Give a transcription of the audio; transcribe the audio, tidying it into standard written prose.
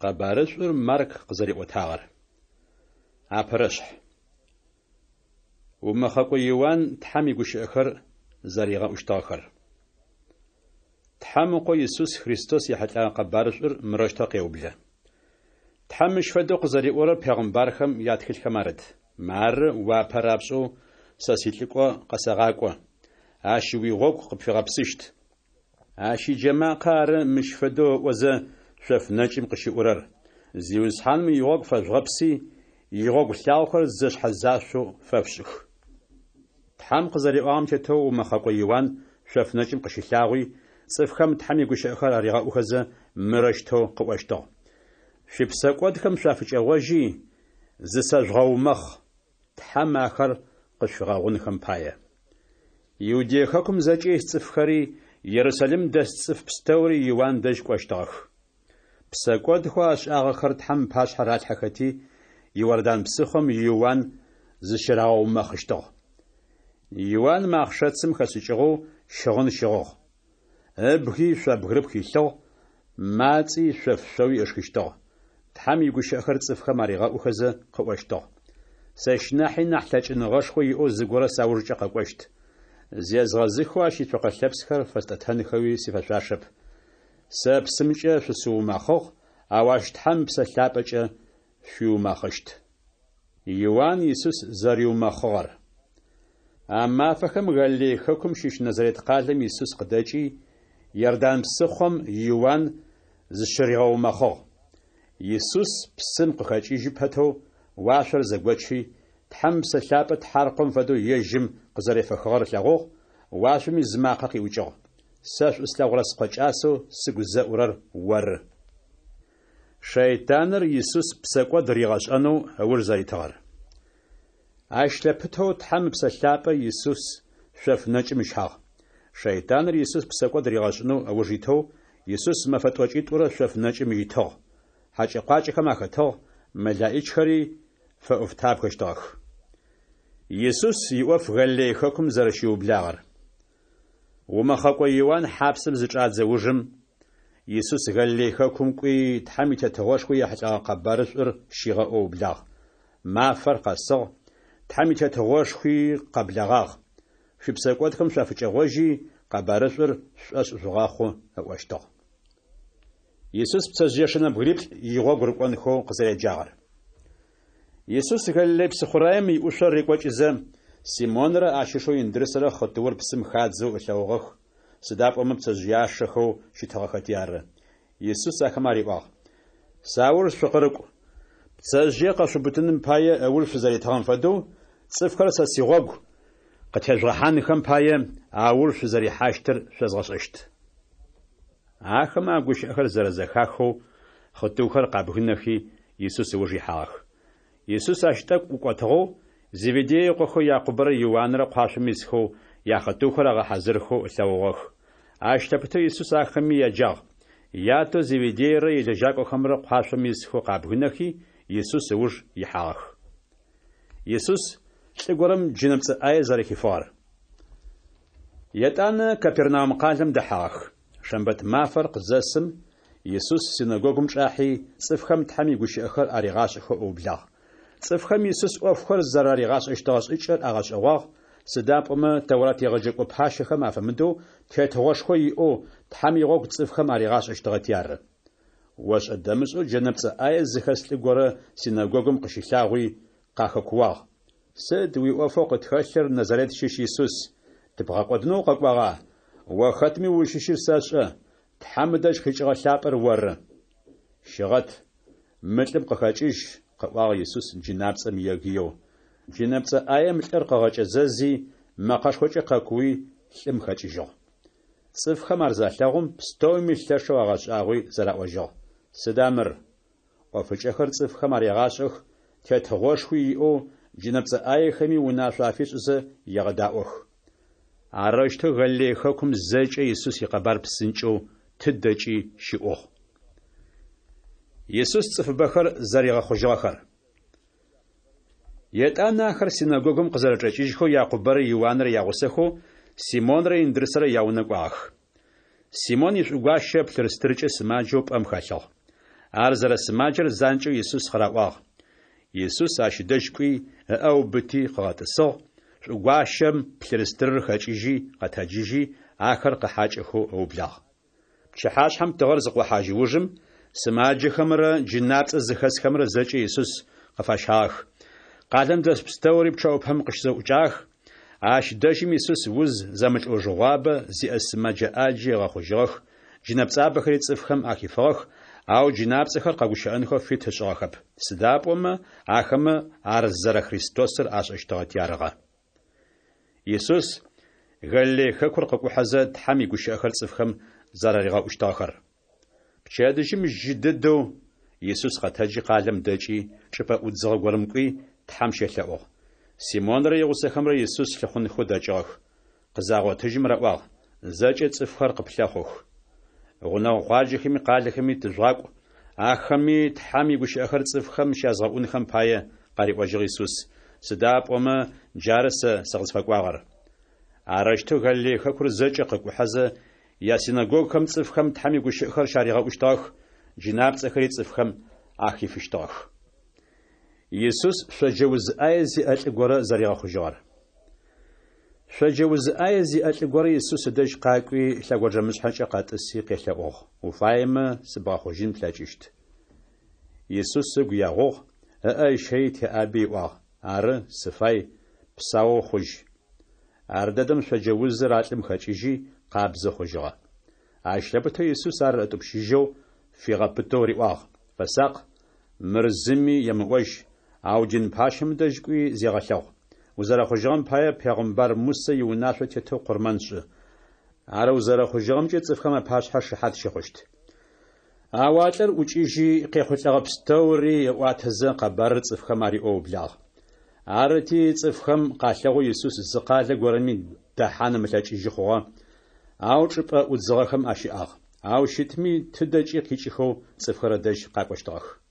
Къэбарышӏур Марк къызэриӏотагъэр. Апэрэшъхь. Умэхъэкӏо Иуан Тхьэм игущыӏэхэр зэригъэӏущтыгъэхэр. Тхьэм Ыкъо Исус Христос ехьылӏэгъэ къэбарышӏур мырэущтэу къеублэ. Тхьэм мыщ фэдэу къызэриӏорэр пегъымбархэм ятхылъхэм арыт: Мары, уапэ рапшӏэу сэ силӏыкӏо къэсэгъакӏо. Ащ уигъогу къыпфигъэпсыщт. Ащ иджэмакъэ ары мыщ фэдэу ыӏозэ шъоф нэкӏым къыщыӏурэр: Зиусхьаным игъогу фэжъугъэпси, игъогу лъагъохэр зэшъхьэзашъоу фэшъушӏых. Тхьэм къызэриӏуагъэм тетэу умэхъэкӏо Иуан шъоф нэкӏым къыщылъагъуи, цӏыфхэм Тхьэм игущыӏэхэр аригъэӏухэзэ, мырэущтэу къыӏощтыгъ: Шъуипсэкӏодхэм шъуафыкӏэгъожьи, зысэжъугъэумэхъ, Тхьэм ахэр къышъуфигъэгъунхэм пае. Иудей хэкум зэкӏэ ис цӏыфхэри, Ерусалим дэс цӏыф пстэури Иуан дэжь кӏощтыгъэх. Псэкӏодхэу ашӏагъэхэр Тхьэм ыпашъхьэ ралъхьэхэти, Иордан псыхъом Иуан зыщырагъэумэхъыщтыгъ. Иуан мэхъшэцым хэшӏыкӏыгъэу щыгъын щыгъыгъ. Ыбги шъо бгырыпх илъыгъ, мацӏи шъоф шъоуи ышхыщтыгъ. Тхьэм игущыӏэхэр цӏыфхэм аригъэӏухэзэ къыӏощтыгъ: Сэщ нахьи нахь лъэкӏыныгъэшхо иӏэу зыгорэ саужкӏэ къэкӏощт. Зезгъэзыхэу ащ ицокъэ лъэпсхэр фэстӏэтэнхэуи сифэшъуашэп. Сэ псымкӏэ шъусыумэхъыгъ, ау ащ Тхьэм Ыпсэ Лъапӏэкӏэ шъуиумэхъыщт. Иуан Исус зэриумэхъыгъэр. А мафэхэм Галилей хэкум щыщ Назарет къалэм Исус къыдэкӏи, Иордан псыхъом Иуан зыщыригъэумэхъыгъ. Исус псым къыхэкӏыжьы пэтэу уашъор зэгочи, Тхьэм Ыпсэ Лъапӏэ тхьаркъом фэдэу ежьым къызэрефэхыгъэр ылъэгъугъ, уашъоми зы макъэ къиӏукӏыгъ: Сэ шӏу слъэгъурэ Скъо кӏасэу сыгу зэӏурэр оры. Шэйтаныр Исус псэкӏод ригъэшӏэнэу ыуж зэритыгъэр. Ащ лъэпытэу Тхьэм Ыпсэ Лъапӏэ Исус шъоф нэкӏым ыщагъ. Шэйтаныр Исус псэкӏод ригъэшӏынэу ыуж итэу, Исус мэфэ тӏокӏитӏурэ шъоф нэкӏым итыгъ. Хьакӏэ-къуакӏэхэм ахэтыгъ, мэлаӏичхэри фэӏофтабгэщтыгъэх. Исус иӏоф Галилей хэкум зэрэщиублагъэр. Умэхъэкӏо Иуан хьапсым зычӏадзэ ужым, Исус Галилей хэкум кӏуи, Тхьэм и Тетыгъошхо ехьылӏэгъэ къэбарышӏур щигъэӏоу ыублагъ. Мафэр къэсыгъ, Тхьэм и Тетыгъошхуи къэблэгъагъ. Шъуипсэкӏодхэм шъуафыкӏэгъожьи, къэбарышӏур шъушӏошъ жъугъэхъу, ыӏощтыгъ. Исус пцэжъыешэ нэбгыриплӏ игъогу рыкӏонхэу къызэреджагъэр. Исус Галилей псыхъураем иӏушъо рекӏокӏызэ, Симонрэ ащ ышэу Индрысрэ хъытыур псым хадзэу ылъэгъугъэх, сыда пӏомэ пцэжъыяшэхэу щытыгъэхэти ары. Исус ахэмэ ариӏуагъ: Сауж шъукъырыкӏу. Пцэжъые къэшъуубытыным пае ыуж шъузэритыгъэм фэдэу, цӏыфхэр сэ сигъогу къытежъугъэхьанхэм пае ауж шъузэрихьащтыр шъозгъэшӏэщт. Ахэмэ а гущыӏэхэр зэрэзэхахэу, хъытыухэр къабгынэхи, Исус ыуж ихьагъэх. Исус ащ тӏэкӏу ӏукӏотыгъэу, Зеведей ыкъохэу Якъубэрэ Иуанрэ къуашъом исхэу, яхъытыухэр агъэхьазырхэу ылъэгъугъэх. Ащ лъэпытэу Исус ахэми яджагъ. Ятэу Зеведейрэ илэжьакӏохэмрэ къуашъом исхэу къабгынэхи, Исус ыуж ихьагъэх. Исус лӏы горэм джынэпцӏэ ӏае зэрэхифыгъэр. Етӏанэ Капернаум къалэм дэхьагъэх. Шэмбэт мафэр къызэсым, Исус синэгогум чӏахьи, цӏыфхэм Тхьэм игущыӏэхэр аригъашӏэхэу ыублагъ. Цӏыфхэм Исус ӏофхэр зэраригъашӏэщтыгъэ шӏыкӏэр агъэшӏэгъуагъ, сыда пӏомэ Тэурат егъэджэкӏо пащэхэм афэмыдэу тетыгъошхо иӏэу Тхьэм игъогу цӏыфхэм аригъашӏэщтыгъэти ары. Ошӏэ-дэмышӏэу джэнэпцӏэ ӏае зыхэс лӏы горэ синэгогум къыщылъагъуи, къахэкууагъ: Сыд уиӏофэу къытхэлъыр, Назарет щыщ Исус? Тыбгъэкӏодынэу укъэкӏуагъа? О хэтми узщыщыр сэшӏэ, Тхьэм ыдэжь къикӏыгъэ Лъапӏэр оры. Щыгъэт, мы лӏым къыхэкӏыжь, къыӏуагъ Исус джынапцӏэм егыеу. Джынэпцӏэ ӏаем лӏыр къыгъэкӏэзэзи, мэкъэшхокӏэ къэкууи, лӏым хэкӏыжьыгъ. Цӏыфхэм ар залъэгъум, пстэуми лъэшэу агъэшӏагъуи зэраӏожьыгъ: Сыда мыр? ӏофыкӏэхэр цӏыфхэм арегъашӏэх, тетыгъошхуи иӏэу джынэпцӏэ ӏаехэми унашъо афишӏызэ егъэдаӏох. Арэущтэу Галилей хэкум зэкӏэ Исус икъэбар псынкӏэу тыдэкӏи щыӏугъ. Исус цӏыфыбэхэр зэригъэхъужьыгъэхэр. Етӏанэ ахэр синэгогум къызэрэчӏэкӏыжьхэу Якъубэрэ Иуанрэ ягъусэхэу Симонрэ Индрысрэ яунэ кӏуагъэх. Симон ишӏугуащэ плъырстыркӏэ сымаджэу пӏэм хэлъыгъ. Ар зэрэсымаджэр занкӏэу Исус къыраӏуагъ. Исус ащ ыдэжь кӏуи, ыӏэ ыубыти къыгъэтӏысыгъ, шӏугуащэм плъырстырыр хэкӏыжьи, къэтэджыжьи, ахэр къыхьакӏэхэу ыублагъ. Пчыхьашъхьэм тыгъэр зыкъохьажь ужым, сымаджэхэмрэ джынапцӏэ зыхэсхэмрэ зэкӏэ Исус къыфащагъэх. Къалэм дэс пстэури пчъэӏупэм къыщызэӏукӏагъэх. Ащ дэжьым Исус уз зэмылӏэужыгъуабэ зиӏэ сымэджэ ӏаджи ыгъэхъужьыгъэх, джынэпцӏабэхэри цӏыфхэм ахифыгъэх, ау джынапцӏэхэр къэгущыӏэнхэу фит ышӏыгъэхэп, сыда пӏомэ ахэмэ ар зэрэ Христосыр ашӏэщтыгъэти арыгъэ. Исус Галилей хэкур къыкӏухьэзэ, Тхьэм игущыӏэхэр цӏыфхэм зэраригъэӏущтыгъэхэр. Пчэдыжьым жьы дэдэу Исус къэтэджи къалэм дэкӏи, чӏыпӏэ ӏудзыгъэ горэм кӏуи, Тхьэм щелъэӏугъ. Симонрэ игъусэхэмрэ Исус лъыхъунхэу дэкӏыгъэх. Къызагъотыжьым раӏуагъ, Зэкӏэ цӏыфхэр къыплъэхъух. Гъунэгъу къуаджэхэми къалэхэми тыжъугъакӏу, ахэми Тхьэм игущыӏэхэр цӏыфхэм щязгъэӏунхэм пае, къариӏожьыгъ Исус, сыда пӏомэ джары сэ сыкъызфэкӏуагъэр. Арэущтэу Галилей хэкур зэкӏэ къыкӏухьэзэ, ясинэгогухэм цӏыфхэм Тхьэм игущыӏэхэр щаригъэӏущтыгъэх, джынапцӏэхэри цӏыфхэм ахифыщтыгъэх. Исус шъоджэ уз ӏае зиӏэ лӏы горэ зэригъэхъужьыгъэр. Шъоджэ уз ӏае зиӏэ лӏы горэ Исус ыдэжь къакӏуи, лъэгонджэмышъхьэкӏэ къэтӏыси къелъэӏугъ, Уфаемэ, сыбгъэхъужьын плъэкӏыщт. Исус ыгу егъугъ, ыӏэ ыщэий теӏаби ыӏуагъ, Ары, сыфай, псаоу хъужь. Ардэдэм шъоджэ узыр а лӏым хэкӏыжьи, къабзэ хъужьыгъэ. Ащ лъэпытэу Исус ар ытӏупщыжьэу, фигъэпытэу риӏуагъ, Фэсакъ, мыр зыми емыӏожь, ау дин пащэм дэжь кӏуи зегъэлъэгъу. Узэрэхъужьыгъэм пае пегъымбар Мусэ иунашъо тетэу къурмэн шӏы. Ар узэрэхъужьыгъэмкӏэ цӏыфхэм апашъхьэ шыхьат щыхъущт. Ау а лӏыр ӏукӏыжьи, къехъулӏэгъэ пстэури ыӏуатэзэ, къэбарыр цӏыфхэм ариӏоу ыублагъ. Арыти, цӏыфхэм къалъэгъоу Исус зы къалэ горэми дэхьан ымылъэкӏыжьы хъугъэ, ау чӏыпӏэ ӏудзыгъэхэм ащыӏагъ. Ау щытми, тыдэкӏи къикӏыхэу цӏыфхэр ыдэжь къакӏощтыгъэх.